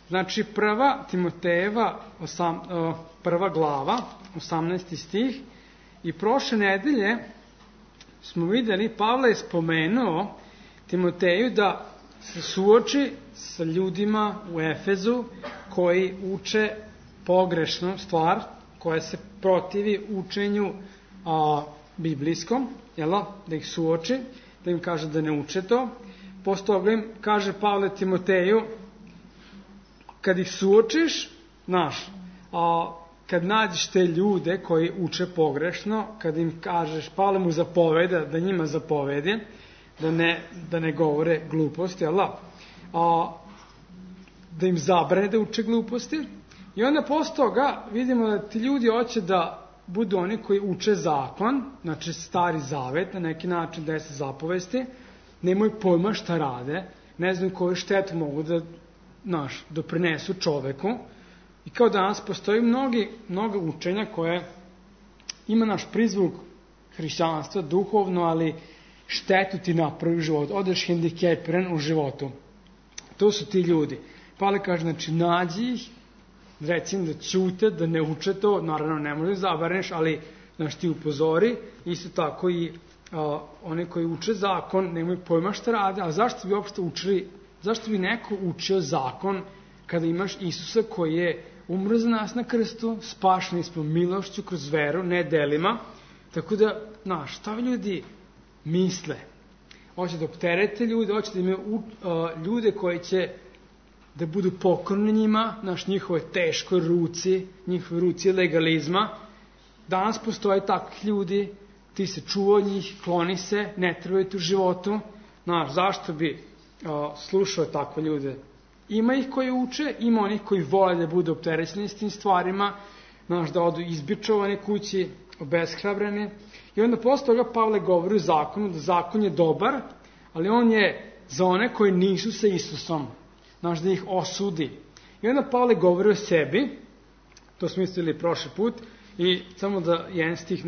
Znači, prva Timotejeva, prva glava, 18. stih, i prošle nedelje smo videli, Pavle je spomenuo Timoteju da se suoči sa ljudima u Efezu koji uče pogrešnu stvar, koja se protivi učenju biblijskom, da ih suoči, da im kaže da ne uče to. Posle toga im kaže Pavle Timoteju, kad ih suočiš, kad nađeš te ljude koji uče pogrešno, kad im kažeš, Pavle mu zapoveda, da njima zapovedi, da ne govore gluposti, da im zabrane da uče gluposti. I onda posle toga vidimo da ti ljudi hoće da budu oni koji uče zakon, znači stari zavet, na neki način 10 zapovesti, nemaju pojma šta rade, ne znaju koju štetu mogu da doprinesu čoveku. I kao danas postoji mnogo učenja koje ima naš prizvuk hrišćanstva, duhovno, ali štetu ti napravi u životu, odeš hendikepiran u životu. To su ti ljudi. Pavle kaže, znači, nađi ih, recimo da ćute, da ne uče to, naravno ne možeš da zabraniš, ali ti upozori, isto tako i oni koji uče zakon, nemaju pojma šta rade, a zašto bi uopšte učili, zašto bi neko učio zakon kada imaš Isusa koji je umro za nas na krstu, spašeni smo milošću kroz veru, ne delima, tako da, šta ljudi misle? Hoće da opterete ljude, hoće da imaju ljude koji će da budu pokorni njima, njihove teškoj ruci, njihove ruci legalizma. Danas postoje takvih ljudi, ti se čuva njih, kloni se, ne trebaju u životu. Zašto bi slušao takve ljude? Ima ih koji uče, ima onih koji vole da budu opterećeni s tim stvarima, da odu izbičovani kući, obeshrabreni. I onda posle toga Pavle govori o zakonu, da zakon je dobar, ali on je za one koji nisu sa Isusom, da ih osudi. I onda Pavle govori o sebi, to smo mislili prošli put, i samo da jedan stih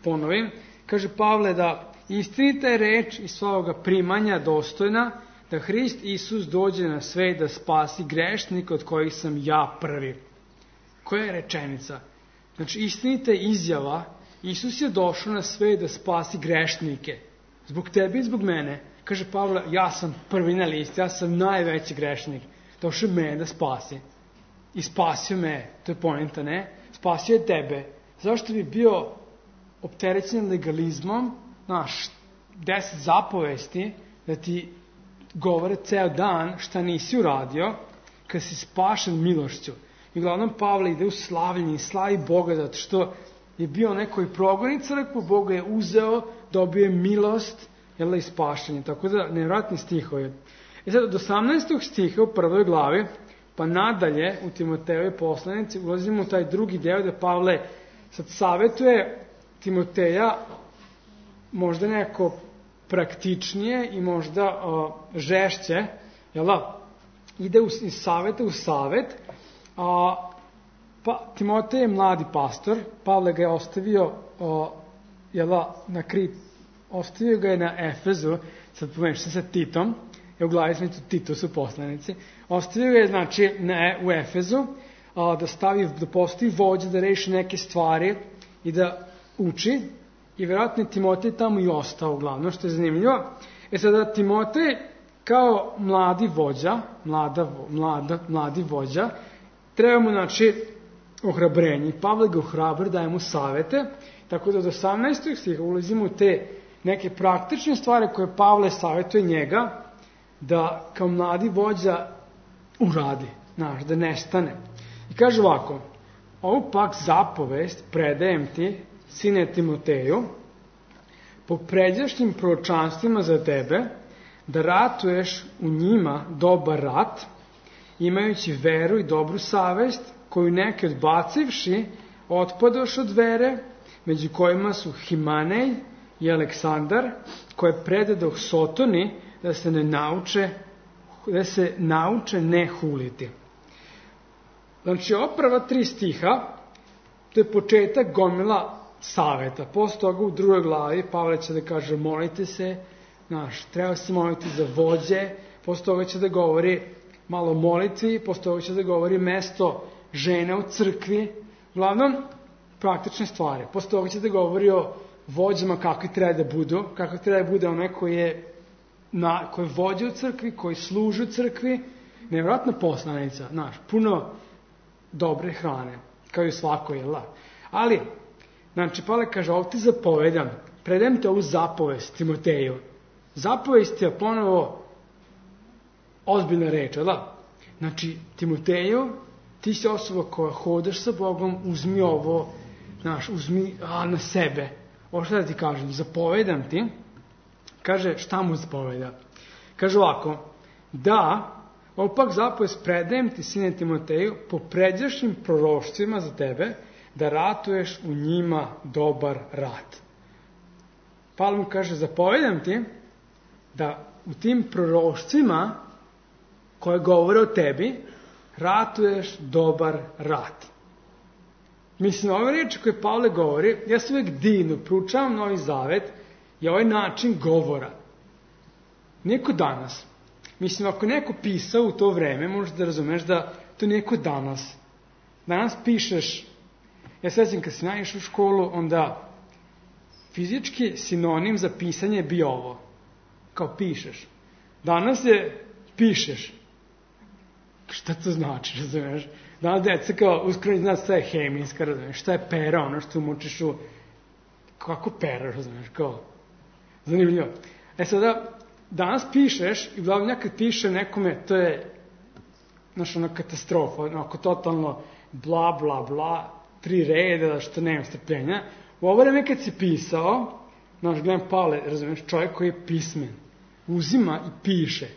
ponovim, kaže Pavle da istinita je reč i svoga primanja dostojna, da Hrist Isus dođe na svet da spasi grešnika od kojih sam ja prvi. Koja je rečenica? Znači, istinita je izjava, Isus je došao na svet da spasi grešnike. Zbog tebe i zbog mene. Kaže Pavle, ja sam prvi na listi, ja sam najveći grešnik. Došao je mene da spasi. I spasio me, to je poenta, ne? Spasio je tebe. Zašto bi bio opterećen legalizmom, 10 zapovesti, da ti govore ceo dan šta nisi uradio, kad si spašen milošću. I uglavnom Pavle ide u slavljenje, slavi Boga, zato što je bio neko i progoni crkvu, Boga je uzeo, dobio je milost, i spašenje. Tako da, nevjerojatni stihovi. I sad, od 18. stiha u prvoj glavi, pa nadalje u Timotejove poslanici, ulazimo u taj drugi deo da Pavle sad savjetuje Timoteja možda neko praktičnije i možda žešće, ide iz saveta u savet, pa Timotej je mladi pastor, Pavle ga je ostavio na Krit, ostavio ga je na Efezu, sad pomešam se sa Titom, u glavi smo Tito su poslanici, ostavio ga je u Efezu, da postoji vođa, da reši neke stvari i da uči, i vjerojatno je Timotej tamo i ostao uglavnom, što je zanimljivo. Sada Timotej kao mladi vođa, mladi vođa, treba mu ohrabrenje. Pavle ga ohrabri, daje mu savete, tako da od 18. stiha ulazimo u te neke praktične stvari koje Pavle savjetuje njega da kao mladi vođa uradi, da nestane. I kaže ovako, ovu pak zapovest predajem ti, sine Timoteju, po pređašnjim proročanstvima za tebe, da ratuješ u njima dobar rat, imajući veru i dobru savest, koju neki odbacivši, otpadoš od vere, među kojima su Himanej i Aleksandar, koje predadoh Sotoni, da se nauče ne huliti. Znači, ova prva 3 stiha, to je početak gomila saveta. Posle toga u drugoj glavi Pavle će da kaže molite se, treba se moliti za vođe, posle toga će da govori malo molitvi, posle toga će da govori mesto žene u crkvi, uglavnom praktične stvari. Posle toga će da govori o vođama kakvi treba da budu, kako treba da bude onaj koji je vođa u crkvi, koji služi u crkvi, nevjerojatna poslanica, znaš, puno dobre hrane, kao i u svakoj, jel da? Ali, znači, Pavle kaže, ovo ti zapovedam, predajem te ovu zapovest Timoteju. Zapovest je ponovo ozbiljna reč, jel da? Znači, Timoteju, ti si osoba koja hodaš sa Bogom, uzmi ovo, znaš, uzmi na sebe. Ovo što da ti kažem, zapovedam ti. Kaže, šta mu zapoveda? Kaže ovako, da, ovo pak zapovest predajem ti, sine Timoteju, po pređašnjim proroštvima za tebe, da ratuješ u njima dobar rat. Pavle mu kaže, zapovedam ti da u tim proroštvima koje govore o tebi, ratuješ dobar rat. Mislim, ove reči koje Pavle govori, ja se uvijek divno proučavam Novi Zavet, je ovaj način govora. Neko danas. Mislim, ako neko pisao u to vreme, možeš da razumeš da to neko danas. Danas pišeš, ja sećam kad si naišao u školu, onda fizički sinonim za pisanje je bio ovo. Kao pišeš. Danas je pišeš. Šta to znači, razumeš? Danas deca kao uskoro zna šta je hemijska, razumeš? Šta je pera, ono što umočiš u... Kako pera, razumeš? Kao... Zanimljivo. Sada, danas pišeš i uglavnom kad piše nekome, to je znaš, ona katastrofa, onako totalno bla, bla, bla, 3 reda, što nema strpljenja. U ovo vreme kad si pisao, znaš, gledam Pavle, razumiješ, čovjek koji je pismen, uzima i piše.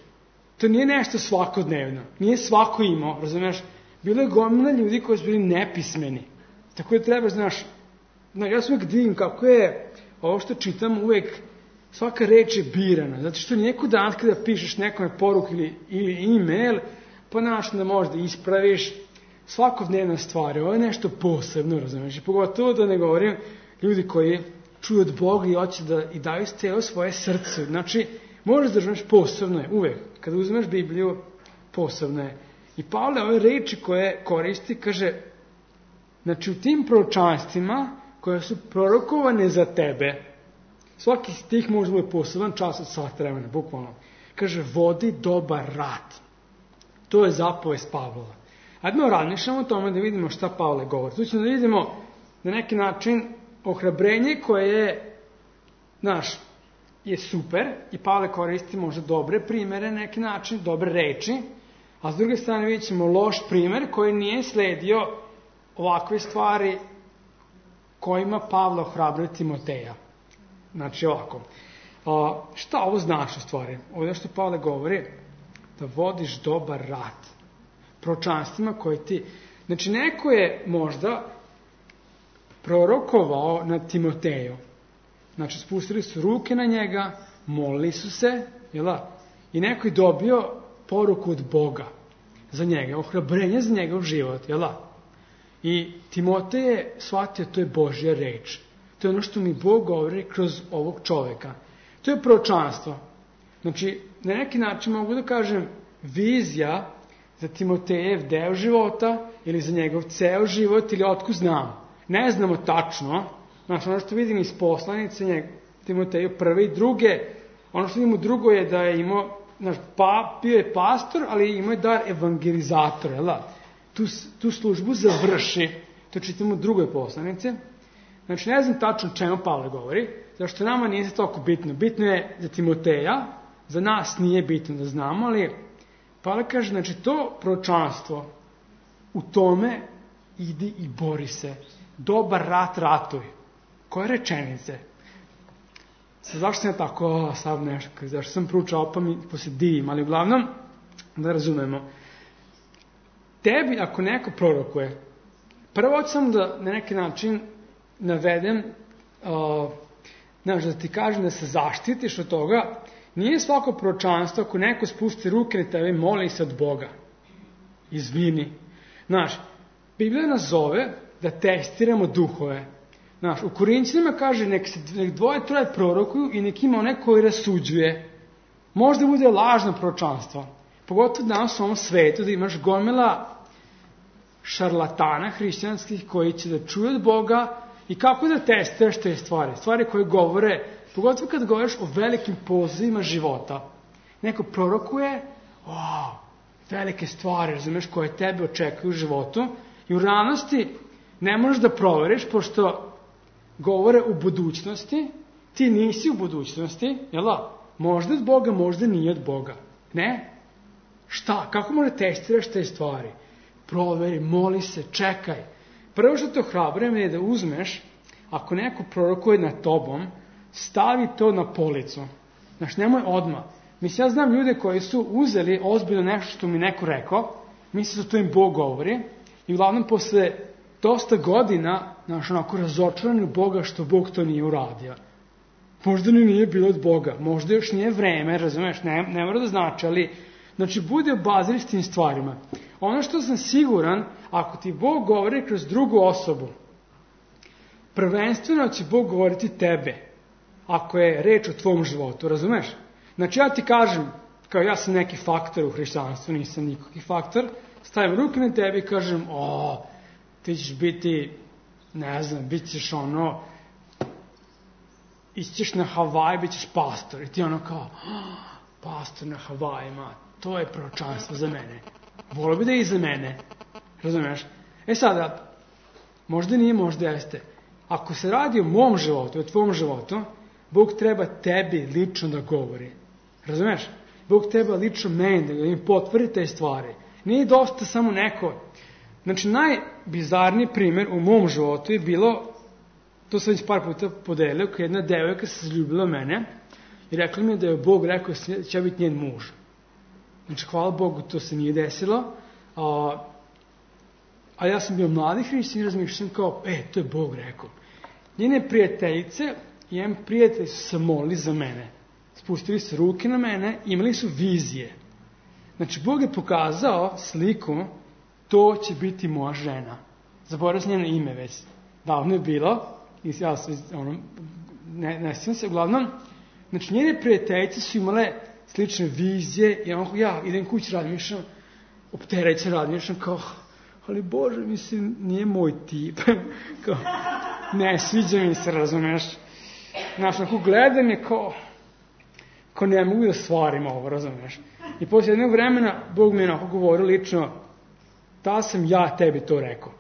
To nije nešto svakodnevno, nije svako imao, razumiješ, bilo je gomila ljudi koji su bili nepismeni. Tako da treba, znaš, ja sam uvijek divim kako je ovo što čitam uvijek, svaka reč je birana, zato što nijeko dan kada pišeš nekome poruku ili e-mail, pa znaš da možda ispraviš svakodnevna stvar, ovo je nešto posebno, razumiješ, i pogotovo da ne govorim ljudi koji čuju od Boga i hoće da i daju celo svoje srce, znači možeš da razumiješ posebno je, uvek, kada uzmeš Bibliju, posebno je. I Pavle ove reči koje koristi, kaže, znači u tim proročanstvima koje su prorokovane za tebe, svaki stih može da bude poseban čas od sat vremena, bukvalno. Kaže, vodi dobar rat. To je zapovest Pavlova. Ajde razmišljamo o tome da vidimo šta Pavle govori. Tu ćemo da vidimo na neki način ohrabrenje koje je, znaš, je super i Pavle koristi možda dobre primere na neki način, dobre reči, a s druge strane vidjet ćemo loš primer koji nije sledio ovakve stvari kojima Pavle ohrabruje Timoteja. Znači ovako, šta ovo znaš u stvari? Ovdje što Pavle govori, da vodiš dobar rat. Proročanstvima koje ti... Znači neko je možda prorokovao na Timoteju. Znači spustili su ruke na njega, molili su se, i neko je dobio poruku od Boga za njega, ohrabrenje za njegov život, I Timotej je shvatio, to je Božja reč. To je ono što mi Bog govori kroz ovog čoveka. To je proročanstvo. Znači, na neki način mogu da kažem vizija za Timotejev deo života ili za njegov ceo život ili otkud znam. Ne znamo tačno. Znači, ono što vidim iz poslanice Timoteju prve i druge, ono što vidim u drugo je da je imao, bio je pastor, ali imao je dar evangelizatora, tu službu završi. To čitamo u drugoj poslanici. Znači, ne znam tačno čemu Pavle govori, zašto nama nije za toliko bitno. Bitno je za Timoteja, za nas nije bitno da znamo, ali Pavle kaže, znači, to proročanstvo, u tome idi i bori se. Dobar rat ratuj. Koje rečenice? Zašto sam ja tako sad nešto, zašto sam proučao pa mi posjedim, ali uglavnom, da razumemo. Tebi, ako neko prorokuje, prvo ću sam da na neki način navedem, da ti kažem da se zaštitiš od toga, nije svako proročanstvo ako neko spusti ruke na tebe, moli se od Boga. Izvini. Znaš, Biblija nas zove da testiramo duhove. Znaš, u Korinćanima kaže nek 2-3 prorokuju i nek ima onaj koji rasuđuje. Možda bude lažno proročanstvo. pogotovo danas u ovom svetu, da imaš gomila šarlatana hrišćanskih koji će da čuju od Boga i kako da testiraš te stvari koje govore, pogotovo kad govoriš o velikim pozivima života. Neko prorokuje, velike stvari, razumeš, koje tebe očekuju u životu i u realnosti ne možeš da proveriš, pošto govore u budućnosti, ti nisi u budućnosti, jel da? Možda od Boga, možda nije od Boga. Ne? Šta? Kako možda testiraš te stvari? Proveri, moli se, čekaj. Prvo što to hrabrujem je da uzmeš, ako neko prorokuje nad tobom, stavi to na policu. Znaš, nemoj odmah. Mislim, ja znam ljude koji su uzeli ozbiljno nešto što mi neko rekao, misle da to im Bog govori, i uglavnom posle dosta godina, znaš, onako razočarani u Boga što Bog to nije uradio. Možda nije bilo od Boga, možda još nije vreme, razumeš, ne mora da znači, ali, znači, bude obazir s tim stvarima. Ono što sam siguran, ako ti Bog govori kroz drugu osobu, prvenstveno će Bog govoriti tebe, ako je reč o tvom životu, razumeš? Znači, ja ti kažem, kao ja sam neki faktor u hrišćanstvu, nisam nikakvi faktor, stavim ruke na tebi i kažem, ti ćeš biti, ne znam, bit ćeš ićeš na Havaj, bit ćeš pastor. I ti kao, pastor na Havajima, to je proročanstvo za mene. Volio bi da je i za mene. Razumeš? Sada, možda nije, možda jeste. Ako se radi o mom životu, o tvom životu, Bog treba tebi lično da govori. Razumeš? Bog treba lično meni da im potvrdi te stvari. Nije dosta samo neko. Znači, najbizarniji primjer u mom životu je bilo, to sam već par puta podelio, kad jedna devojka se zaljubila mene i rekla mi da je Bog rekao da će biti njen muž. Znači, hvala Bogu, to se nije desilo. A ja sam bio mladi hrišćan i razmišljam kao, to je Bog rekao. Njene prijateljice i jedan prijatelj su se molili za mene. Spustili su ruke na mene, imali su vizije. Znači, Bog je pokazao sliku, to će biti moja žena. Zaboravio sam njeno ime već. Davno je bilo, i ja ne sjećam se, uglavnom, znači, njene prijateljice su imale slične vizije, i ja idem kući, razmišljam, opterećen razmišljam, kao, ali Bože, mislim, nije moj tip. Kao, ne, sviđa mi se, razumeš. Znaš, ako gledam je kao ne mogu da stvarim ovo, razumeš. I posle jednog vremena Bog mi je onako govorio lično, da sam ja tebi to rekao.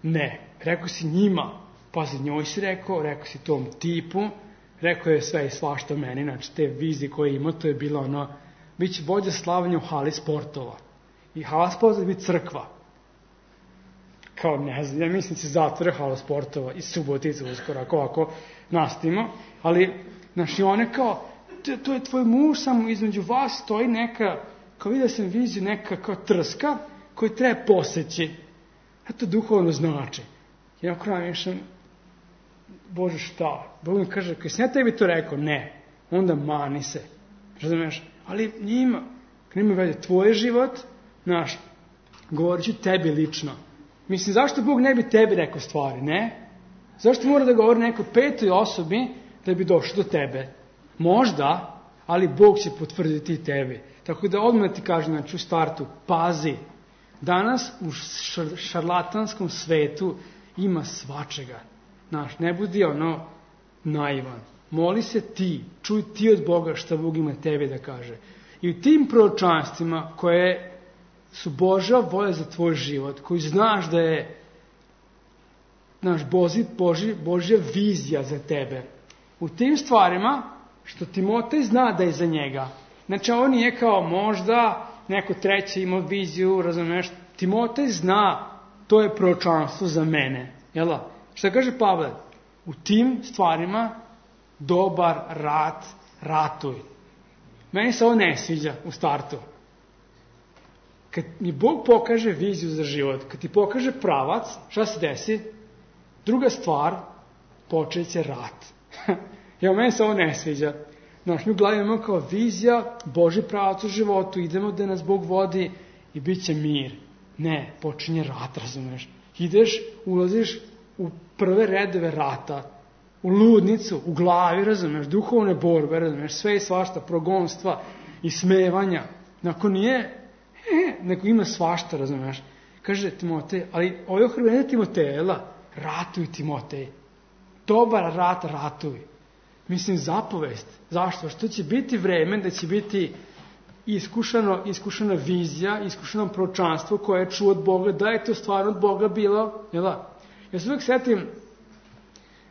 Ne, rekao si njima, pazi, njoj si rekao si tom tipu, rekao je sve i svašta meni, znači te vizije koje ima, to je bilo bit će vođa slavanja u hali sportova. I hala sportova je biti crkva. Kao, ne znam, ja mislim se zatvore hala sportova i Subotica uskoro, ako nastavimo, ali, znači, one kao, to je tvoj muž, samo između vas stoji neka, kao vidio sam viziju, neka kao trska koju treba poseći. A to duhovno znači. I ako razmišljam, Bože, šta? Bog mi kaže, kad sam ja tebi to rekao, ne, onda mani se. Razumeš? Ali njima vede tvoj život, naš, govorit ću tebi lično. Mislim, zašto Bog ne bi tebi rekao stvari, ne? Zašto mora da govori nekoj petoj osobi da bi došlo do tebe? Možda, ali Bog će potvrditi tebi. Tako da odmah ti kažem, znači u startu, pazi. Danas u šarlatanskom svetu ima svačega. Znaš, ne budi naivan. Moli se ti, čuj ti od Boga šta Bog ima tebi da kaže. I u tim proročanstvima koje su Božja volja za tvoj život, koji znaš da je Božja vizija za tebe. U tim stvarima, što Timotej zna da je za njega. Znači, on nije kao možda neko treći imao viziju, razumeš? Timotej zna, to je proročanstvo za mene. Jel? Šta kaže Pavle? U tim stvarima dobar rat ratuj. Meni se ovo ne sviđa u startu. Kad mi Bog pokaže viziju za život, kad ti pokaže pravac, šta se desi? Druga stvar, počet će rat. Meni se ovo ne sviđa. Znaš, mi u glavi imamo kao vizija, Boži pravac u životu, idemo da nas Bog vodi i bit će mir. Ne, počinje rat, razumeš. Ideš, ulaziš u prve redove rata, u ludnicu, u glavi, razumeš, duhovne borbe, razumeš, sve i svašta, progonstva i smevanja. Ako nije, nego ima svašta, razumeš. Kaže Timotej, ali ovo je ohrabrenje Timotejela, ratuj Timotej. Dobar rat ratuj. Mislim, zapovest. Zašto? Što će biti vreme da će biti iskušana vizija, iskušano proročanstvo koje je čuo od Boga, da je to stvarno od Boga bilo. Jel da? Ja se uvijek setim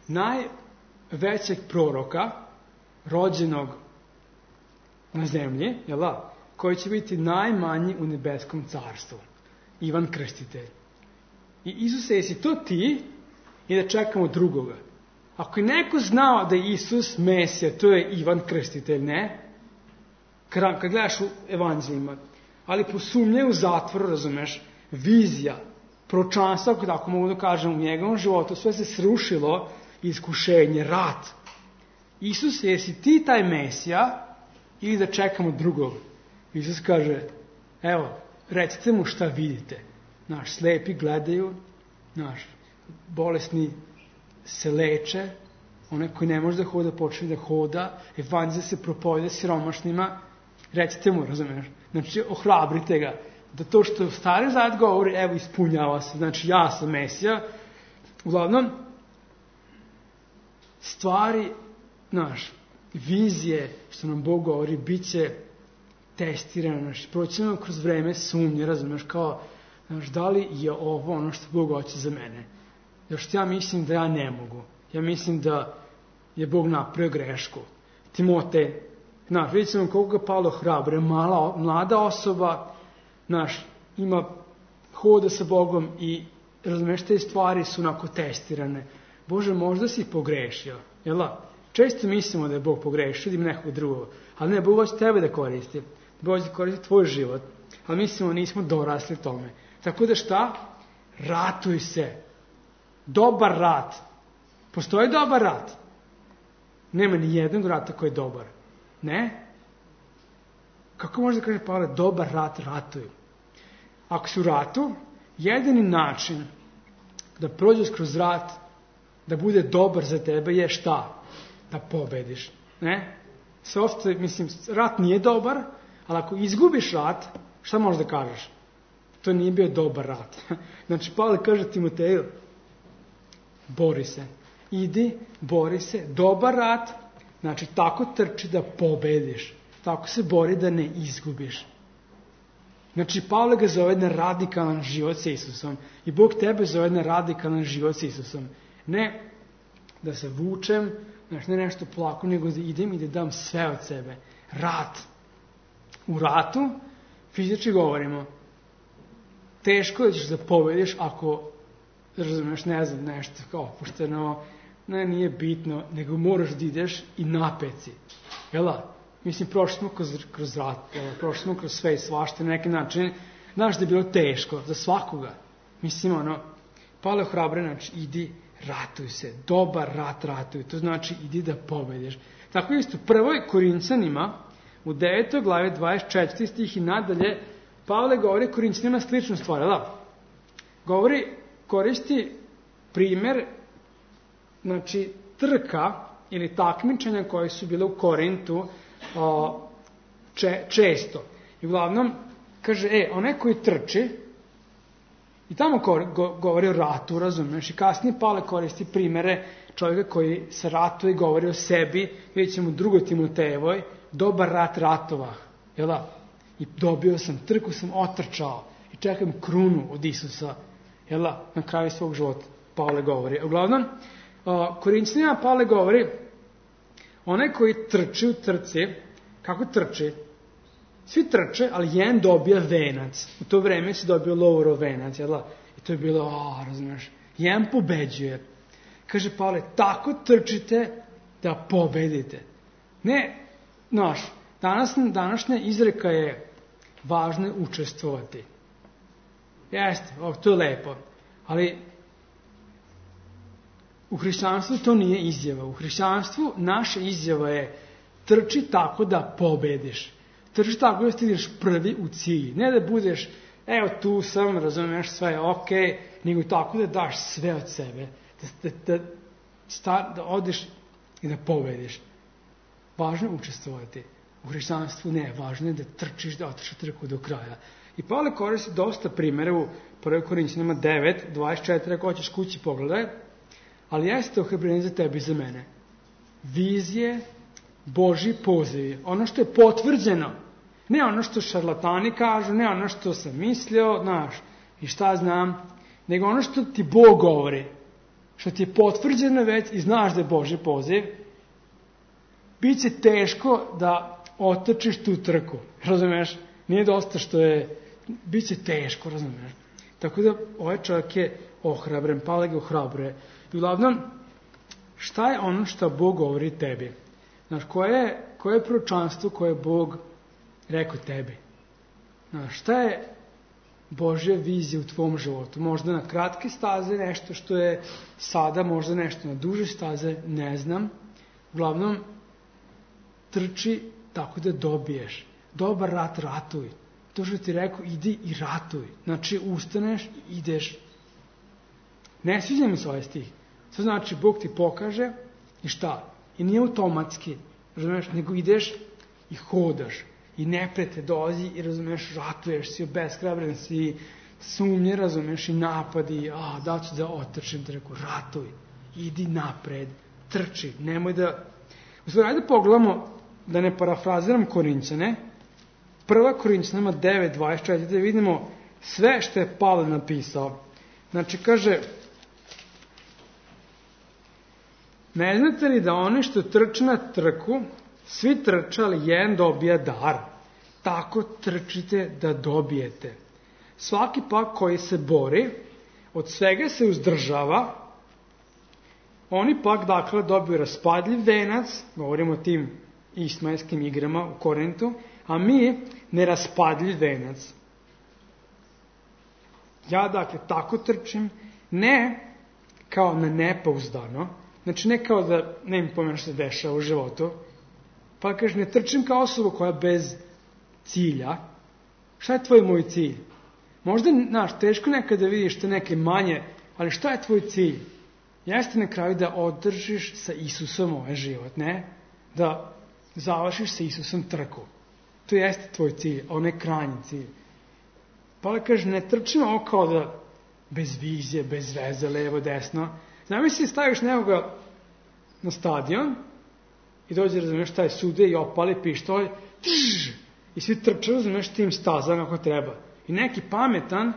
najvećeg proroka rođenog na zemlji, jel da? Koji će biti najmanji u nebeskom carstvu. Ivan Krstitelj. I Isuse, jesi to ti i da čekamo drugoga? Ako je neko znao da je Isus Mesija, to je Ivan Krstitelj, ne? Kad gledaš u evanđeljima. Ali posumnjaju u zatvoru, razumeš, vizija, proročanstvo, ako tako mogu da kažem, u njegovom životu, sve se srušilo, iskušenje, rat. Isus, jesi ti taj Mesija ili da čekamo drugog? Isus kaže, evo, recite mu šta vidite. Naš slepi gledaju, naš bolesni se leče, onaj koji ne može da hoda počne da hoda, evanđelje se propoveda siromašnima, recite mu, razumiješ? Znači, ohrabrite ga, da to što Stari Zavet govori, evo, ispunjava se, znači, ja sam Mesija. Uglavnom, stvari, naš, vizije, što nam Bog govori, bit će testirano, znači, proćemo kroz vreme sumnje, razumiješ, kao, znači, da li je ovo ono što Bog hoće za mene? Jer što ja mislim da ja ne mogu. Ja mislim da je Bog napravio grešku. Timotej, znaš, vidjet ćemo koliko ga Pavle hrabre, mlada osoba, znaš, ima hoda sa Bogom i, razumiješ, te stvari su onako testirane. Bože, možda si pogrešio, jel da? Često mislimo da je Bog pogrešio, da ima nekog drugog, ali ne, Bog hoće tebe da koristi. Bog hoće da koristi tvoj život, ali mislimo nismo dorasli tome. Tako da šta? Ratuj se. Dobar rat. Postoji dobar rat? Nema ni jednog rata koji je dobar. Ne? Kako može da kaže Pavle, dobar rat ratuju? Ako si u ratu, jedini način da prođeš kroz rat, da bude dobar za tebe je šta? Da pobediš. Ne? Sve ostalo, mislim, rat nije dobar, ali ako izgubiš rat, šta možeš da kažeš? To nije bio dobar rat. Znači, Pavle kaže Timoteju, bori se. Idi, bori se. Dobar rat, znači tako trči da pobediš. Tako se bori da ne izgubiš. Znači, Pavle ga zove na radikalan život sa Isusom. I Bog tebe zove na radikalan život sa Isusom. Ne da se vučem, znači ne nešto polako, nego da idem i da dam sve od sebe. Rat. U ratu, fizički govorimo, teško da ćeš da pobediš ako, razumeš, ne znam, nešto kao opušteno, ne, nije bitno, nego moraš da ideš i napeci. Jel da? Mislim, prošli smo kroz rat, prošli smo kroz sve i svašta na neki način. Znaš da je bilo teško za svakoga. Mislim, Pavle hrabre, znači, idi, ratuj se. Dobar rat ratuj. To znači, idi da pobediš. Tako isto, prvoj Korinćanima, u 9. glavi 24. stih i nadalje, Pavle govori Korinćanima sličnu stvar, da? Koristi primjer, znači, trka ili takmičenja koje su bile u Korintu često. I uglavnom, kaže, onaj koji trči, i tamo govori o ratu, razumiješ, i kasnije Pavle koristi primjere čovjeka koji se ratuje i govori o sebi, vidjet ćemo u 2. Timotejevoj, dobar rat ratovah, jel da? I dobio sam, trku sam otrčao i čekam krunu od Isusa, jel da? Na kraju svog života, Pavle govori. Uglavnom, Korinćanima Pavle govori, onaj koji trči u trci, kako trči? Svi trče, ali jedan dobija venac. U to vreme si dobio Laurov venac, jel da? I to je bilo, razumiješ, jedan pobeđuje. Kaže Pavle, tako trčite da pobedite. Ne, današnja izreka je važno je učestvovati. Jeste, to je lepo. Ali u hrišćanstvu to nije izjava. U hrišćanstvu naša izjava je trči tako da pobediš. Trči tako da stigneš prvi u cilj. Ne da budeš, evo tu sam, razumiješ, sve je okej, nego tako da daš sve od sebe. Da odeš i da pobediš. Važno je učestvovati. U hrišćanstvu ne, važno je da trčiš, da otrčiš trku do kraja. I Pavle koristi dosta primjera u 1. Korinćanima 9, 24, ako hoćeš kući pogledaj, ali jeste ohrabrenje za tebe i za mene. Vizije, Božji pozivi, ono što je potvrđeno, ne ono što šarlatani kažu, ne ono što sam mislio, znaš, i šta znam, nego ono što ti Bog govori, što ti je potvrđeno već i znaš da je Božji poziv, bit će teško da otrčiš tu trku, razumeš? Nije dosta što je, bit će teško, razumeš? Tako da ovaj čovjek je ohrabren, Pavle ga ohrabruje. I uglavnom, šta je ono što Bog govori tebi? Znaš, koje je proročanstvo koje je Bog rekao tebi? Znaš, šta je Božja vizija u tvom životu? Možda na kratke staze nešto što je sada, možda nešto na duže staze, ne znam. Uglavnom, trči tako da dobiješ. Dobar rat ratuj. To što ti rekao, idi i ratuj. Znači, ustaneš i ideš. Ne sviđa mi se ovaj stih. To znači, Bog ti pokaže i šta? I nije automatski, razumeš, nego ideš i hodaš. I neprijatelj dolazi i, razumeš, ratuješ, si obeshrabren, si sumnje, razumeš, i napadi, da ću da otrčim, da reku, ratuj, idi napred, trči, nemoj da... U stvari, ajde pogledamo, da ne parafraziram Korinćane, 1. Korinćanima 9.24, da vidimo sve što je Pavle napisao. Znači, kaže, ne znate li da oni što trče na trku, svi trče, ali jedan dobija dar. Tako trčite da dobijete. Svaki pak koji se bori, od svega se uzdržava, oni pak, dakle, dobiju raspadljiv venac, govorimo o tim ismailskim igrama u Korintu, a mi neraspadljiv venac. Ja, dakle, tako trčim, ne kao na nepouzdano, znači ne kao da ne im pomenu što se dešava u životu, pa kaže, ne trčim kao osoba koja bez cilja. Šta je tvoj moj cilj? Možda, znaš, teško nekada vidiš te neke manje, ali šta je tvoj cilj? Jeste na kraju da održiš sa Isusom ovaj život, ne? Da završiš sa Isusom trku. To jeste tvoj cilj, a onaj krajnji cilj. Pa kaže, ne trčim ovo kao da bez vizije, bez veze, levo, desno. Zamisli, staviš nekoga na stadion i dođe, razumiješ, taj sude i opali pištolj, i svi trče, razumiješ, tim stazama kako treba. I neki pametan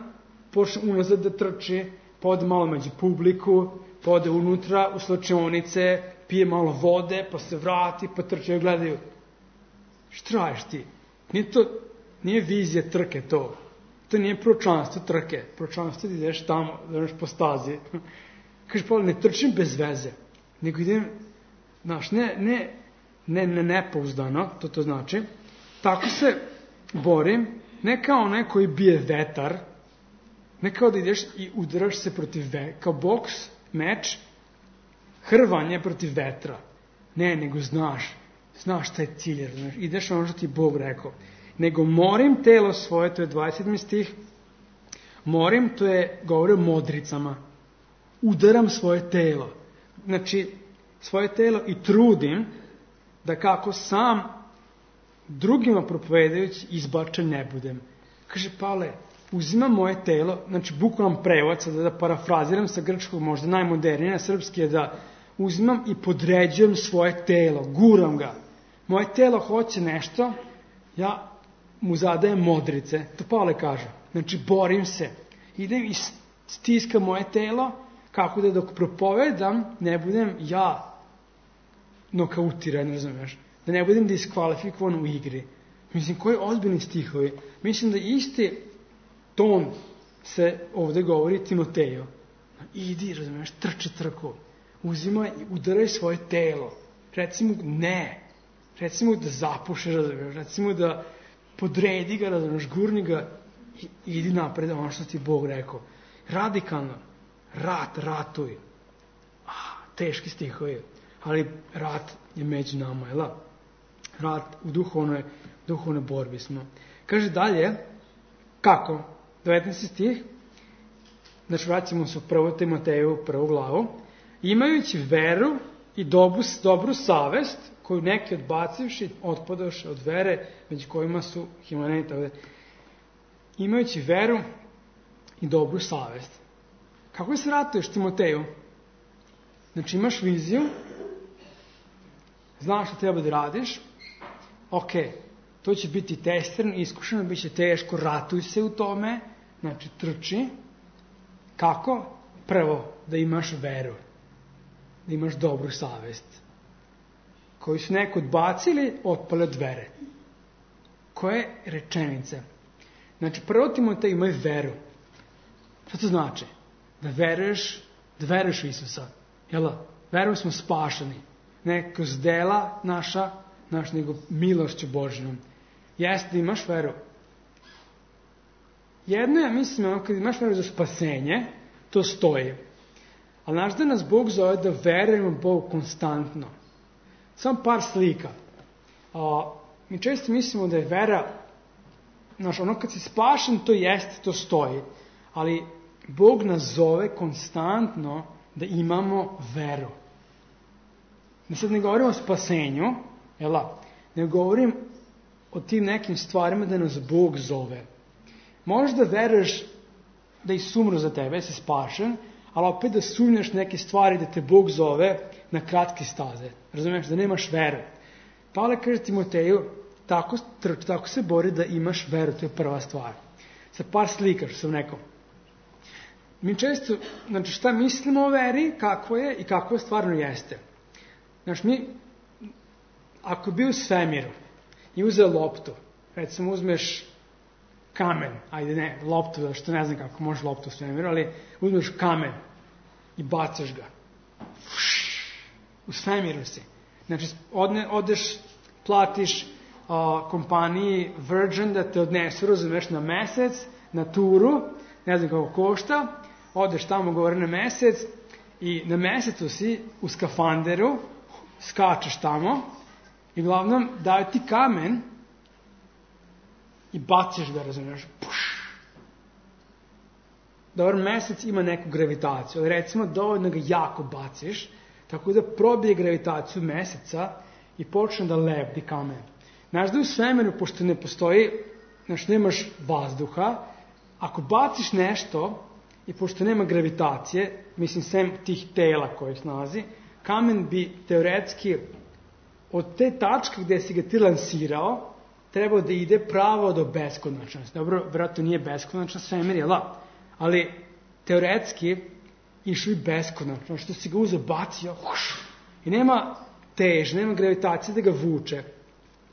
počne unazad da trči, pa ode malo među publiku, pa ode unutra u slačionice, pije malo vode, pa se vrati, pa trče i gledaju. Šta radiš ti? Nije vizija trke to. To nije proročanstvo trke. Proročanstvo ti ideš tamo, da ideš po stazi. Kaže, Pavle, ne trčim bez veze, nego idem, znaš, ne nepouzdano, to znači, tako se borim, ne kao onaj koji bije vetar, ne kao da ideš i udaraš se protiv kao boks, meč, hrvanje protiv vetra. Ne, nego znaš šta je cilj, znaš, ideš ono što ti Bog rekao. Nego morim telo svoje, to je 27. stih, morim, to je, govori o modricama, udaram svoje telo. Znači, svoje telo i trudim da kako sam drugima propovedajući izbačen ne budem. Kaže, Pavle, uzimam moje telo, znači bukvalan prevod, da parafraziram sa grčkog, možda najmodernije, na srpski je da uzimam i podređujem svoje telo, guram ga. Moje telo hoće nešto, ja mu zadajem modrice, to Pavle kaže. Znači, borim se, idem i stiskam moje telo, kako da dok propovedam, ne budem ja nokautiran, razumiješ? Da ne budem diskvalifikovan u igri. Mislim, koji ozbiljni stihovi. Mislim da isti ton se ovdje govori Timoteju. Idi, razumiješ, trči trku. Uzimaj i udaraj svoje telo. Reci mu ne. Reci mu da zapuše, razumiješ. Reci mu da podredi ga, razumiješ, gurni ga i idi napred, ono što ti Bog rekao. Radikalno. Ratuj. Teški stihovi. Ali rat je među nama, jel? Rat u duhovnoj borbi smo. Kaže dalje, kako? 19. stih, znači vraćamo se u 1. Timoteju, 1. glavu. Imajući veru i dobru savest, koju neki odbacivši, otpadoše od vere, među kojima su Himenejta ovde. Imajući veru i dobru savest. Kako se ratuješ, Timoteju? Znači, imaš viziju, znaš što treba da radiš, to će biti testerno, iskušeno, bit će teško, ratuj se u tome, znači trči. Kako? Prvo, da imaš veru, da imaš dobru savest. Koji su neko odbacili, otpali od vere. Koje rečenice? Znači, prvo Timotej imaju veru. Što to znači? Da veruješ u Isusa. Jel? Verujem smo spašeni. Ne kroz dela naša, nego milošću Božjom. Jeste da imaš veru. Jedno je, mislim, kad imaš veru za spasenje, to stoji. Ali znaš da nas Bog zove da verujemo Bogu konstantno. Samo par slika. Mi često mislimo da je vera, ono kad si spašen, to jeste, to stoji. Ali Bog nas zove konstantno da imamo veru. Mi sad ne govorimo o spasenju, ne govorim o tim nekim stvarima da nas Bog zove. Možeš da veruješ da je umro za tebe, si spašen, ali opet da sumnjaš neke stvari da te Bog zove na kratke staze. Razumiješ, da nemaš veru. Pavle kaže Timoteju, tako se bori da imaš veru, to je prva stvar. Sa par slika, što sam rekao. Mi često, znači šta mislimo o veri, kako je i kako stvarno jeste. Znači mi, ako bi u svemiru i uzeo loptu, recimo uzmeš kamen, loptu, što ne znam kako može loptu u svemiru, ali uzmeš kamen i bacaš ga. U svemiru si. Znači, odeš, platiš kompaniji Virgin da te odnesu, razumeš, na mesec, na turu, ne znam kako košta, odeš tamo gore na mesec i na mesecu si u skafanderu, skačeš tamo i uglavnom daju ti kamen i baciš ga, razumiješ. Dobar, mesec ima neku gravitaciju, ali recimo dovoljno ga jako baciš, tako da probije gravitaciju meseca i počne da lebdi kamen. Znaš da u svemiru, pošto ne postoji, znači nemaš vazduha, ako baciš nešto i pošto nema gravitacije, mislim sem tih tela kojih nalazi, kamen bi teoretski od te tačke gde si ga ti lansirao trebao da ide pravo do beskonačnosti. Dobro, vjerojatno nije beskonačna svemir, jel da? Ali teoretski išao i beskonačno, što si ga uzeo, bacio, i nema teže, nema gravitacije da ga vuče.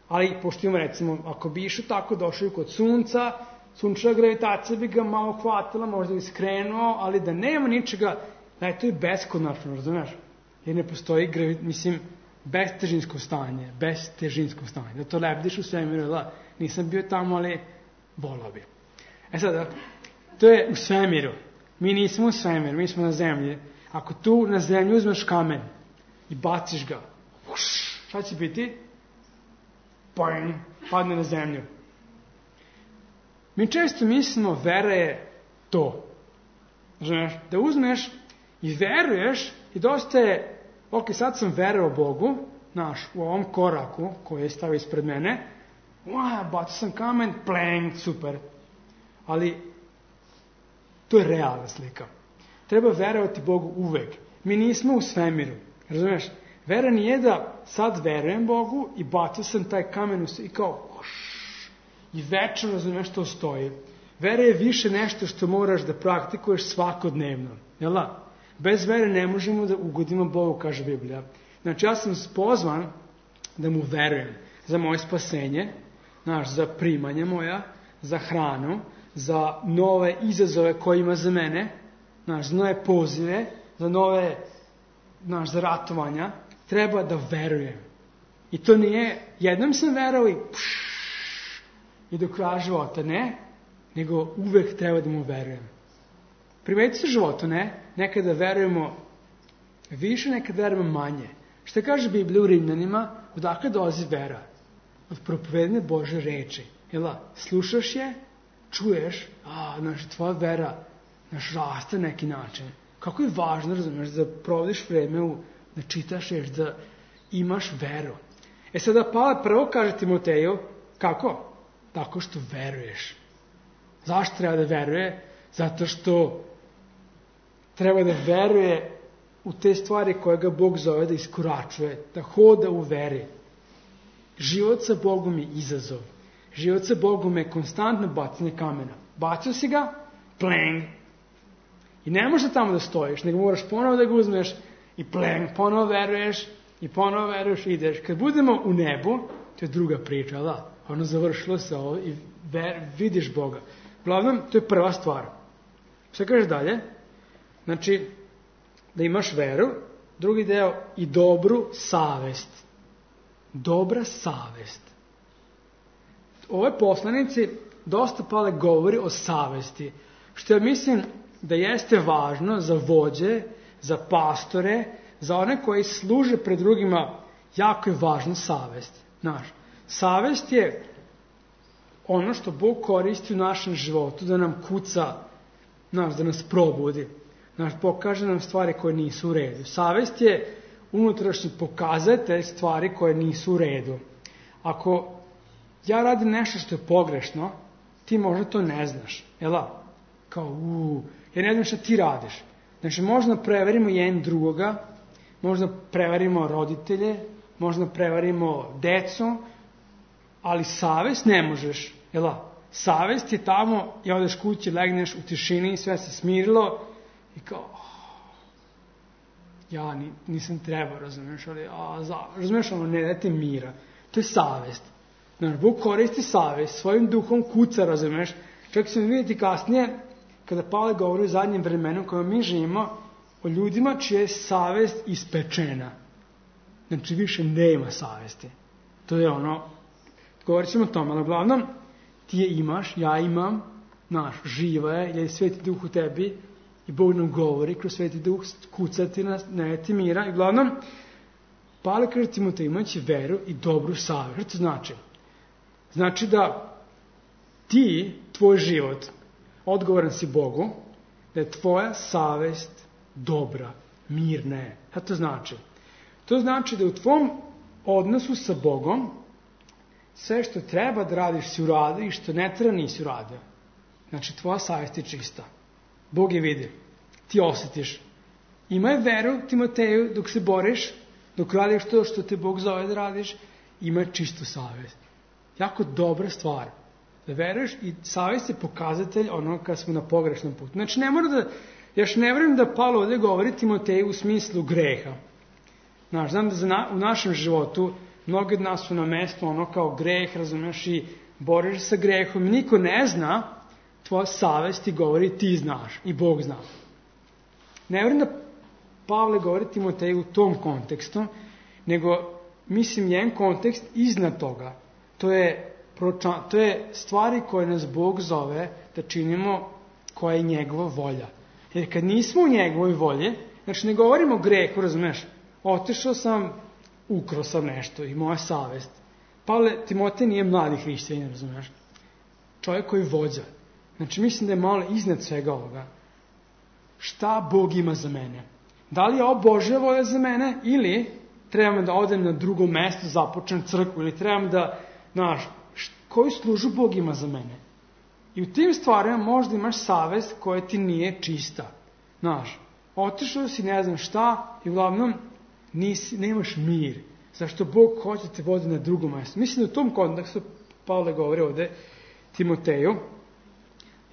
Ali, pošto imamo, recimo, ako bi išao tako, došao kod sunca, sunčeva gravitacija bi ga malo hvatila, možda bi skrenuo, ali da nema ničega, to je beskonačno, razumiješ? Jer ne postoji, bestežinsko stanje, da to lebdiš u svemiru, da, nisam bio tamo, ali volao bi. Sada, to je u svemiru. Mi nismo u svemiru, mi smo na zemlji. Ako tu na zemlji uzmeš kamen i baciš ga, šta će biti? Padne na zemlju. Mi često mislimo vera je to. Znaš, da uzmeš i veruješ i dosta je, sad sam verovao Bogu, u ovom koraku koji je stavio ispred mene, bacio sam kamen, super. Ali to je realna slika. Treba verovati Bogu uvek. Mi nismo u svemiru. Razumiješ? Vera nije da sad verujem Bogu i bacio sam taj kamen i kao i večno, razumiješ, to stoji. Vera je više nešto što moraš da praktikuješ svakodnevno. Jel da? Bez vere ne možemo da ugodimo Bogu, kaže Biblija. Znači, ja sam pozvan da mu verujem za moje spasenje, za primanje moja, za hranu, za nove izazove koje ima za mene, za nove pozive, za nove, za ratovanja. Treba da verujem. I to nije, jednom sam verovao i do kraja života, ne, nego uvek treba da mu verujem. Primetite se životu, ne? Nekada verujemo više, nekada verujemo manje. Šta kaže Biblija u Rimljanima? Odakle dolazi vera? Od propovedene Bože reči. Slušaš je, čuješ, tvoja vera raste na neki način. Kako je važno, razumiješ, da provodiš vreme u da čitaš reč, da imaš veru. Sada Pavle prvo kaže Timoteju, kako? Tako što veruješ. Zašto treba da veruje? Zato što treba da veruje u te stvari koje ga Bog zove da iskoračuje, da hoda u veri. Život sa Bogom je izazov. Život sa Bogom je konstantno bacanje kamena. Bacio si ga, pleng. I ne možeš tamo da stojiš, nego moraš ponovo da ga uzmeš i pleng, ponovo veruješ i ideš. Kad budemo u nebu, to je druga priča, da, ono završilo se ovo i vidiš Boga. Uglavnom, to je prva stvar. Šta kažeš dalje? Znači, da imaš veru, drugi deo i dobru savest. Dobra savest. Ove poslanici dosta Pavle govori o savesti, što ja mislim da jeste važno za vođe, za pastore, za one koji služe pred drugima, jako je važna savest. Savest je ono što Bog koristi u našem životu da nam kuca, da nas probudi, pokaže nam stvari koje nisu u redu. Savest je unutrašnji pokazatelj stvari koje nisu u redu. Ako ja radim nešto što je pogrešno, ti možda to ne znaš. Ja ne znam šta ti radiš. Znači, možda preverimo jedan drugoga, možda preverimo roditelje, možda preverimo decu, ali savest ne možeš. Savest je tamo, ja odeš kući, legneš u tišini, sve se smirilo i kao, ja nisam trebao, razumiješ, ali, razumiješ, ne dajte mira. To je savest. Bog koristi savest, svojim duhom kuca, razumiješ. Čak ćemo vidjeti kasnije, kada Pavle govori o zadnjem vremenu kojem mi živimo, o ljudima čija je savest ispečena. Znači, više nema savesti. To je ono, govorit ćemo o tome, ali uglavnom, ti je imaš, ja imam, živa je, jer je Sveti Duh u tebi i Bog nam govori kroz Sveti Duh, kucati nas, ne dajte mira. I uglavnom, Pavle kaže Timoteju, imajući veru i dobru savest. Što to znači? Znači da ti, tvoj život, odgovoran si Bogu, da je tvoja savest dobra, mirna je. Šta to znači? To znači da u tvom odnosu sa Bogom sve što treba da radiš si uradio i što ne treba nisi uradio. Znači, tvoja savest je čista. Bog je vidi. Ti osjetiš. Imaj veru, Timoteju, dok se boriš, dok radiš to što te Bog zove da radiš, imaj čistu savest. Jako dobra stvar. Da veruješ i savest je pokazatelj onoga kad smo na pogrešnom putu. Znači, ne mora da, još ne vjerujem da Pavle ovdje govori Timoteju u smislu greha. Znam da u našem životu mnogi od nas su na mestu ono kao greh, razumiješ, i boriš sa grehom. Niko ne zna, tvoja savest ti govori, ti znaš i Bog zna. Ne vjerujem da Pavle govori Timoteju u tom kontekstu, nego mislim jedan kontekst iznad toga. To je stvari koje nas Bog zove da činimo, koja je njegova volja. Jer kad nismo u njegovoj volji, znači ne govorimo o grehu, razumiješ, otišao sam, ukrao sam nešto i moja savest. Pavle, Timotej nije mladi hrišćanin, razumiješ, čovjek koji vođa. Znači mislim da je malo iznad svega ovoga. Šta Bog ima za mene? Da li je ovo Božja volja za mene ili trebam da odem na drugo mesto, započnem crkvu ili trebam da, koju služu Bog ima za mene? I u tim stvarima možda imaš savest koja ti nije čista. Otišao si ne znam šta i uglavnom nemaš mir. Zašto Bog hoće te vodi na drugo mjesto? Mislim da u tom kontekstu Pavle govori ovdje Timoteju.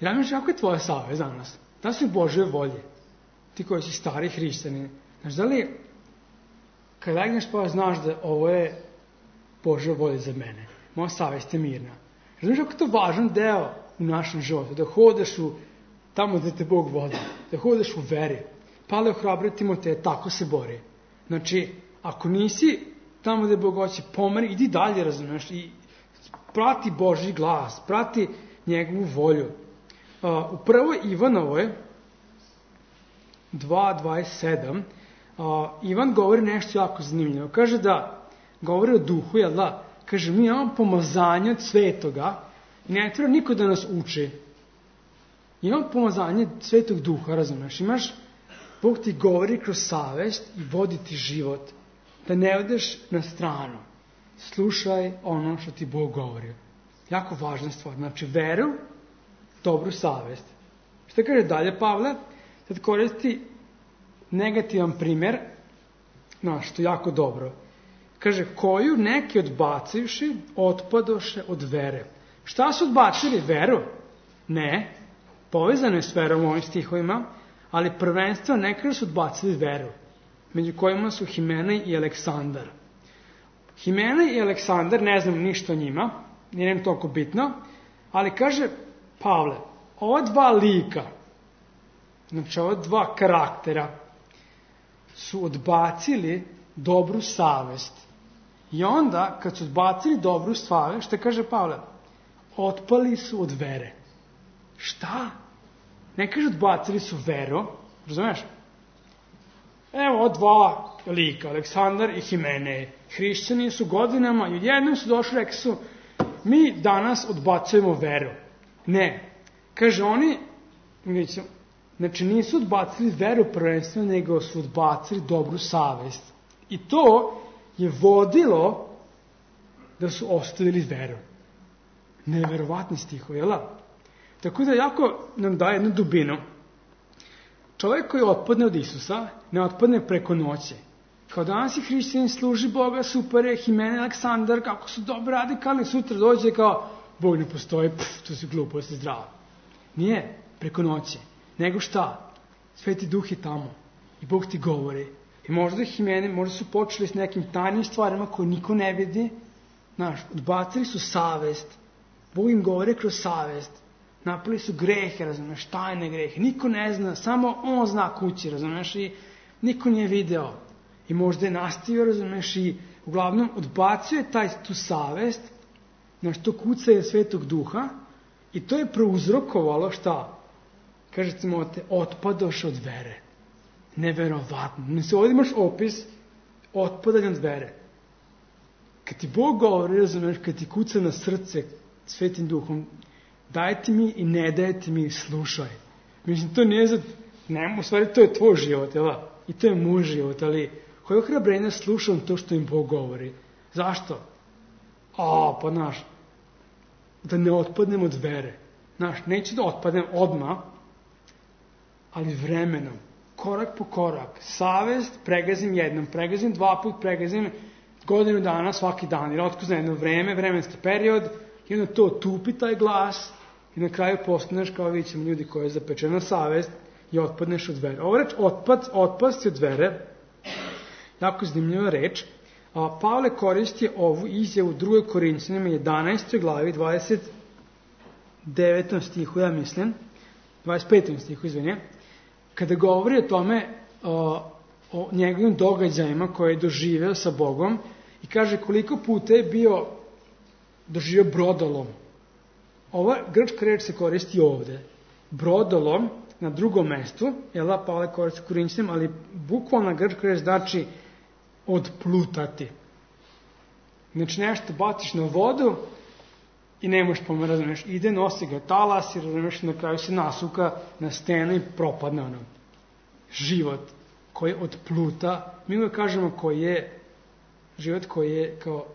Ja mislim, kako je tvoja savest danas? Da su Božje volje? Ti koji si stari hrišćanin. Da li kad legneš pa znaš da ovo je Božja volja za mene? Moja savest je mirna. Znaš kako je to važan deo u našem životu? Da hodeš tamo gdje te Bog vodi. Da hodeš u veri. Pavle ohrabrio Timoteja, tako se bori. Znači, ako nisi tamo gdje Bog hoće, pomeri, idi dalje, razumiješ, i prati Božji glas, prati njegovu volju. U prvoj Ivanovoj 2.27 Ivan govori nešto jako zanimljivo. Kaže da govori o duhu, jel da? Kaže, mi imamo pomazanje od svetoga i ne treba niko da nas uči. Imamo pomazanje svetog duha, razumiješ? Imaš Bog ti govori kroz savest i vodi ti život. Da ne odeš na stranu. Slušaj ono što ti Bog govori. Jako važna stvar. Znači, veru, dobru savest. Šta kaže dalje Pavle? Sad koristi negativan primjer, što je jako dobro. Kaže, koju neki odbacivši, otpadoše od vere. Šta su odbacili? Veru? Ne. Povezano je s verom u ovim stihovima, ali prvenstveno nekada su odbacili veru, među kojima su Himenej i Aleksandar. Himenej i Aleksandar, ne znam ništa o njima, nije nam toliko bitno, ali kaže Pavle, ova dva lika, znači ova dva karaktera, su odbacili dobru savest. I onda, kad su odbacili dobru savest, što kaže Pavle? Otpali su od vere. Šta? Ne kaže odbacili su veru, razumeš? Evo dva lika, Aleksandar i Himenej. Hrišćani su godinama i jednom su došli, rekli su, mi danas odbacujemo veru. Ne. Kaže oni, znači nisu odbacili veru prvenstveno, nego su odbacili dobru savest. I to je vodilo da su ostavili veru. Neverovatni stihovi, jel? Tako da jako nam daje jednu dubinu. Čovjek koji otpadne od Isusa, ne otpadne preko noći. Kao danas i hrišćanin služi Boga, super je, Himenej, Aleksandar, kako su dobro radikalni, sutra dođe kao, Bog ne postoji, to su gluposti, zdravo. Nije preko noći. Nego šta? Sveti Duh je tamo. I Bog ti govori. I možda Himenej, možda su počeli s nekim tajnim stvarima koje niko ne vidi. Znaš, odbacili su savest. Bog im govori kroz savest. Napali su grehe, razumeš, tajne grehe. Niko ne zna, samo on zna kući, razumeš, i niko nije video. I možda je nastavio, razumeš, i uglavnom odbacuje tu savest, znaš, to kucanje Svetog Duha, i to je prouzrokovalo šta? Kaže Timote, otpadoš od vere. Neverovatno. Mislim, ovdje imaš opis otpadanja od vere. Kad ti Bog govori, razumeš, kad ti kuca na srce Svetim Duhom, daj ti mi i ne daj ti mi, slušaj. Mislim, to nije za... Ne, u stvari, to je tvoj život, jel? I to je moj život, ali koje ohrabrenja slušam to što im Bog govori. Zašto? Pa znaš, da ne otpadnem od vere. Znaš, neću da otpadnem odmah, ali vremenom, korak po korak, savest, pregazim jednom, pregazim dva put, pregazim godinu dana, svaki dan, jer otkuzna jedno vreme, vremenski period, i onda to tupi taj glas, i na kraju postaneš kao vidimo ljudi koji je zapečena savest i otpadneš od vere. Ovo reč otpasti od vere, jako zanimljiva reč. Pavle koristi ovu izjavu u 2. Korinćanima 11. glavi 29. stihu, ja mislim, 25. stihu, izvinite, kada govori o tome, o njegovim događajima koje je doživeo sa Bogom i kaže koliko puta je doživio brodolom. Ova grčka reč se koristi ovde. Brodolom na drugom mestu, Pavle koristi Korinćanima, ali bukvalna grčka reč znači odplutati. Znači nešto baciš na vodu i ne možeš pomoći, razumiješ, ide, nosi ga talas i razumiješ, na kraju se nasuka na stenu i propadne ono. Život koji odpluta, mi uvijek kažemo život koji je kao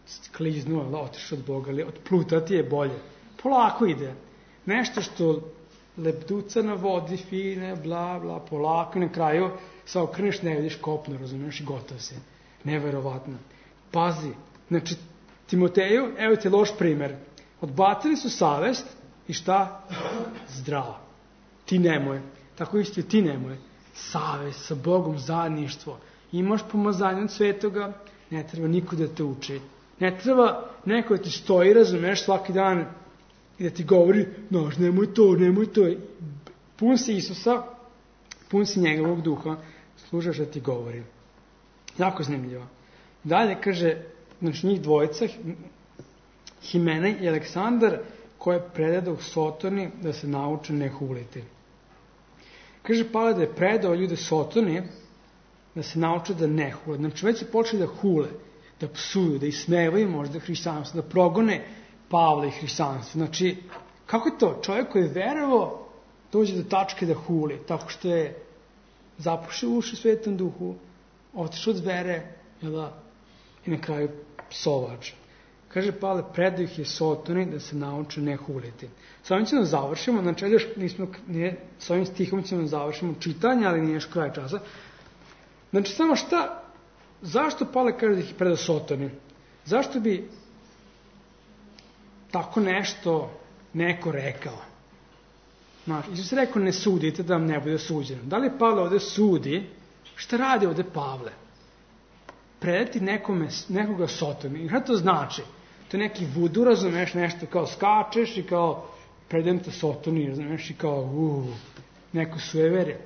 skliznuo, otišao od Boga, ali odplutati je bolje. Polako ide. Nešto što lebduca na vodi, fine, bla, bla, polako, na kraju se okreneš, ne vidiš kopno, razumiješ, i gotov si. Neverovatno. Pazi, znači, Timoteju, evo ti loš primer. Odbacili su savest i šta? Zdravo. Ti nemoj. Tako isto i ti nemoj. Savest, sa Bogom, zajedništvo. Imaš pomazanje od Svetoga, ne treba niko da te uči. Ne treba neko da ti stoji, razumeš, svaki dan i da ti govori, nož, nemoj to. Pun si Isusa, pun si njegovog duha, služaš da ti govori. Jako zanimljivo. Dalje kaže, znači njih dvojica, Himenej i Aleksandar, koje predao Sotoni da se nauče ne huliti. Kaže Pavle da je predao ljude Sotoni da se nauče da ne hule. Znači već su počeli da hule, da psuju, da ismevaju možda hrišćanstvo, da progone Pavla i hrišćanstvo. Znači, kako je to? Čovjek koji je verovao dođe do tačke da huli, tako što je zapušio uši Svetom Duhu, otišao od vere, i na kraju psovač. Kaže Pavle, predao ih je Sotoni da se nauče ne huliti. S ovim ćemo završimo, znači još s ovim stihom ćemo završimo čitanje, ali nije još kraj časa. Znači samo zašto Pavle kaže da ih je predao Sotoni? Zašto bi tako nešto neko rekao? Znači, Isus je rekao ne sudite da vam ne bude suđeno. Da li Pavle ovde sudi? Šta radi ovde Pavle? Predati nekoga Sotoni. I šta to znači? To je neki vudu, razumeš, nešto kao skačeš i kao predajem te Sotoni, razumeš, i kao neko sueverje.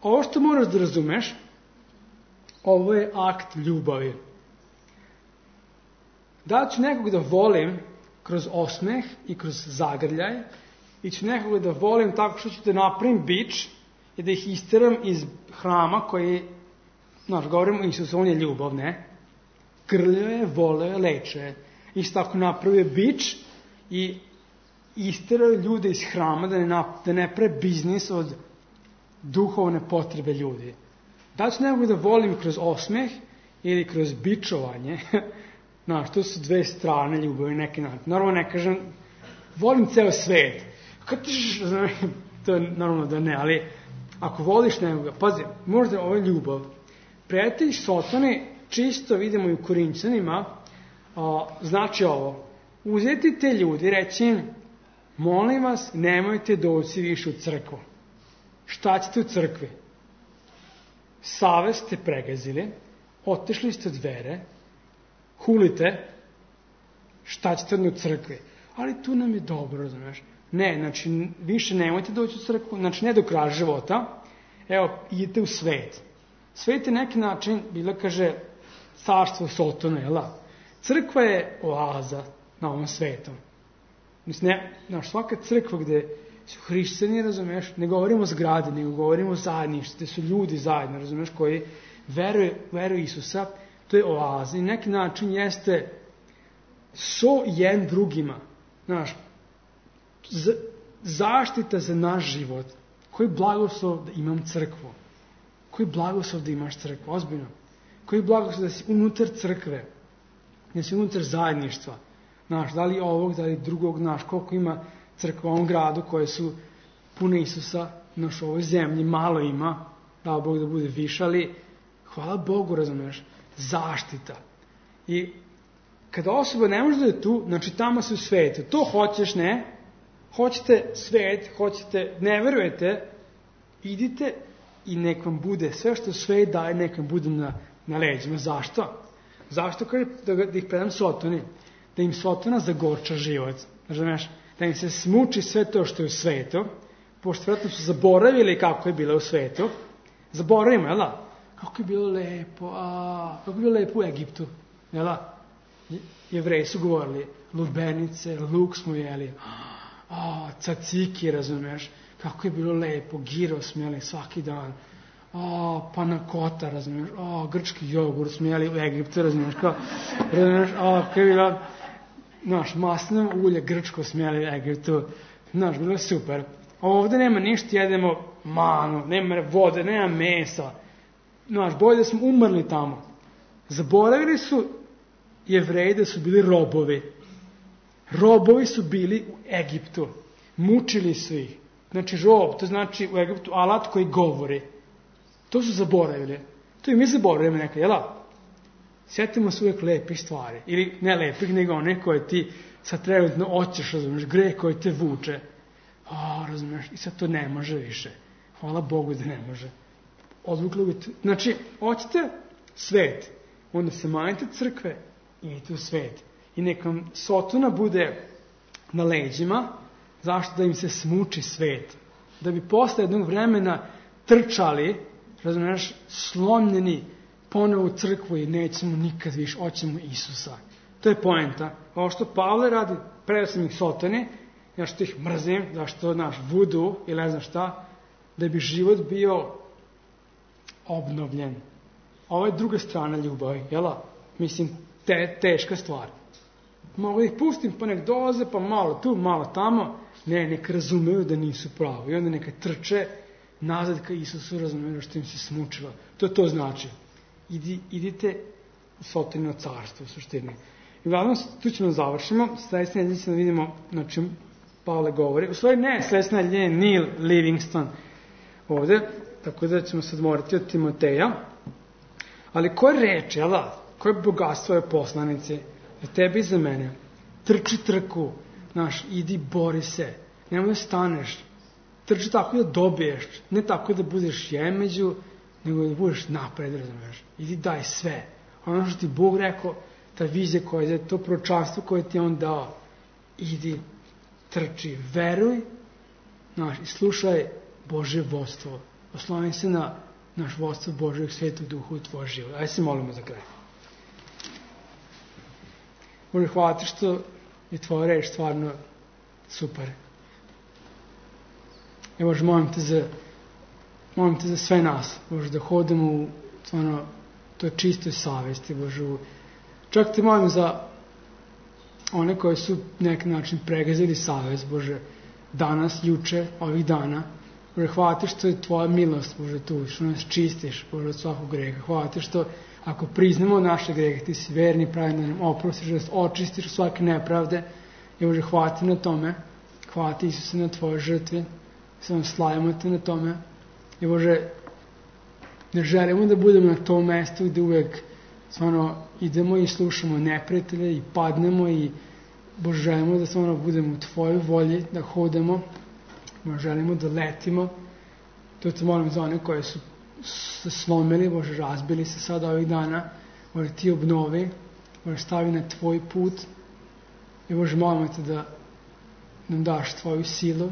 Ovo što moraš da razumeš, ovo je akt ljubavi. Da ću nekog da volim kroz osmeh i kroz zagrljaj, i ću nekog da volim tako što ću da napravim bič i da ih isteram iz hrama koji, govorimo Isus, on je ljubav, ne? Grljao je, voleo je, lečio je. Isto tako napravio bič i isterao ljude iz hrama da ne prave biznis od duhovne potrebe ljudi. Da ću nekog da volim kroz osmeh ili kroz bičovanje, to su dve strane ljubavi neki način. Naravno ne kažem, volim ceo svet. To je normalno da ne, ali ako voliš nekoga, pazi, možda ovo je ljubav. Prijatelj Sotoni, čisto vidimo i u Korinćanima, znači ovo, uzeti te ljudi i reći im, molim vas, nemojte doći više u crkvu. Šta ćete u crkvi? Savest ste pregazili, otišli ste od vere, hulite, šta ćete u crkvi? Ali tu nam je dobro, razumiješ? Ne, znači, više nemojte doći u crkvu, znači ne do kraja života, evo, idite u svet. Svet je neki način, bila kaže, carstvo Sotona, jel? Crkva je oaza na ovom svetu. Mislim, svaka crkva gde su hrišćani, razumiješ, ne govorimo o zgradi, nego govorimo o zajedništvu, gde su ljudi zajedno, razumiješ, koji veruju Isusa, to je oaza i neki način jeste jedan drugima, zaštita za naš život. Koji blagoslov da imam crkvu? Koji blagoslov da imaš crkvu? Ozbiljno. Koji blagoslov da si unutar crkve? Da si unutar zajedništva? Da li ovog, da li drugog, koliko ima crkva u ovom gradu koje su pune Isusa, u ovoj zemlji, malo ima, dao Bog da bude više, ali hvala Bogu, razumiješ, zaštita. I kada osoba ne može da je tu, znači tamo se u svetu, to hoćeš, ne, hoćete svet, ne verujete, idite i nek vam bude, sve što svet daje, nek vam bude na leđima. Zašto? Zašto da ih predam Sotoni? Da im Sotona zagorča život, razumiješ? Da im se smuči sve to što je u svetu, pošto vjerojatno su zaboravili kako je bilo u svetu. Zaboravimo, jel da? Kako je bilo lepo, kako je bilo lepo u Egiptu, jel da? Jevreji su govorili, lubenice, luk smo jeli, caciki, razumiješ, kako je bilo lepo, giro smo jeli svaki dan, panakota, razumiješ, grčki jogurt smo jeli u Egiptu, razumiješ, kako je bilo, maslinovo ulje grčko smo jeli u Egiptu, bilo je super. Ovde nema ništa, jedemo manu, nema vode, nema mesa, bolje da smo umrli tamo. Zaboravili su Jevreji da su bili robovi. Robovi su bili u Egiptu. Mučili su ih. Znači rob, to znači u Egiptu alat koji govori. To su zaboravili. To i mi zaboravimo nekad, jel? Sjetimo se uvijek lepih stvari. Ili ne lepih, nego one koje ti sad trenutno hoćeš, razumiješ, greh koji te vuče. Razumiješ, i sad to ne može više. Hvala Bogu da ne može. Odvukli uvijek. Znači, hoćete svet. Onda se manjite crkve i idete u svet. I nek vam Sotona bude na leđima, zašto? Da im se smuči svet. Da bi posle jednog vremena trčali, razumiješ, slomljeni ponovo u crkvu i nećemo nikad više, hoćemo Isusa. To je poenta. Ovo što Pavle radi, predao sam ih Sotoni, ja što ih mrzim, zašto vudu ili ne znam šta, da bi život bio obnovljen. Ovo je druga strana ljubavi, jela? Mislim, teška stvar. Mogu ih pustim, pa nek dolaze, pa malo tu, malo tamo. Ne, nek razumeju da nisu pravi. I onda neka trče, nazad ka Isusu, razumeli što im se smučilo. To znači. Idite u Sotonino carstvo, u suštini. I uglavnom, tu ćemo završimo. Sledeće nedelje ćemo da vidimo na čem Pavle govori. U stvari ne, sledeće nedelje je Neil Livingston ovde, tako da ćemo se odmoriti od Timoteja. Ali koje reči, koje bogatstvo je poslanici za tebe i za mene? Trči trku, idi, bori se, nemoj da staneš. Trči tako da dobiješ, ne tako da budeš jemeđu, nego da budeš napred, razumeš. Idi, daj sve. Ono što ti Bog rekao, ta vizija koja je, to proročanstvo koje ti je On dao, idi, trči, veruj, i slušaj Božje vodstvo. Osloni se na naš vodstvo Božjeg Svetog Duha u tvoj život. Ajde se molimo za kraj. Bože, hvala ti što je tvoja reč stvarno super. I Bože, molim te za sve nas, Bože, da hodimo u stvarno toj čistoj savesti, Bože. Čak te molim za one koje su na neki način pregazili savest, Bože, danas, juče, ovih dana. Bože, hvala ti što je tvoja milost, Bože, tu, što nas čistiš, Bože, od svakog greha. Hvala ti što ako priznamo naše grehe, ti si verni, pravi da nam oprostiš, da nas očistiš od svake nepravde. I Bože, hvala ti na tome. Hvala ti, Isuse, na tvojoj žrtvi. Samo slavimo te na tome. I Bože, ne želimo da budemo na tom mestu gde uvek stvarno idemo i slušamo neprijatelje i padnemo i Bože, želimo da stvarno budemo u tvojoj volji, da hodamo. Bože, želimo da letimo. To te molim za one koje su se slomili, Bože, razbili se sada ovih dana. Bože, ti obnovi. Bože, stavi na tvoj put. I Bože, molimo te da nam daš tvoju silu.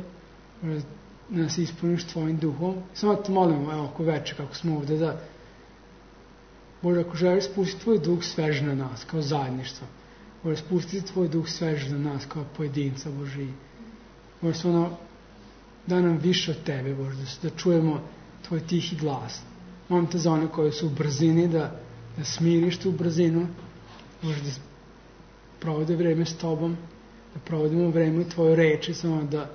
Bože, da nas ispuniš tvojim duhom. Samo te molimo, evo, oko veče, kako smo ovde, da Bože, ako želiš spustiti tvoj duh svež na nas, kao zajedništvo. Bože, spustiti tvoj duh svež na nas, kao pojedinca, Bože. Bože, stvarno, da nam više od tebe, Bože, da čujemo tvoj tihi glas. Molim te za one koji su u brzini, da smiriš tu brzinu, Bože, da provode vreme s tobom, da provodimo vreme u tvojoj reči, samo da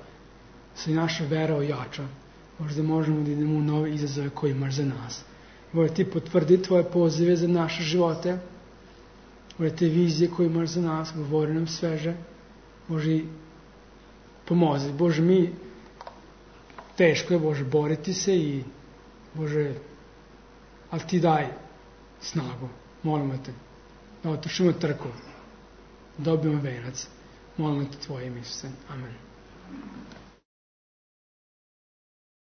se naša vera ojača. Bože, da možemo da idemo u nove izazove koje imaš za nas. Bože, ti potvrdi tvoje pozive za naše živote. Bože, te vizije koje imaš za nas, govori nam sveže. Bože, pomozi. Bože, teško je, Bože, boriti se i Bože, ali ti daj snagu. Molimo te da otrčimo trku, dobijemo venac. Molimo te tvoje ime, Isuse. Amen.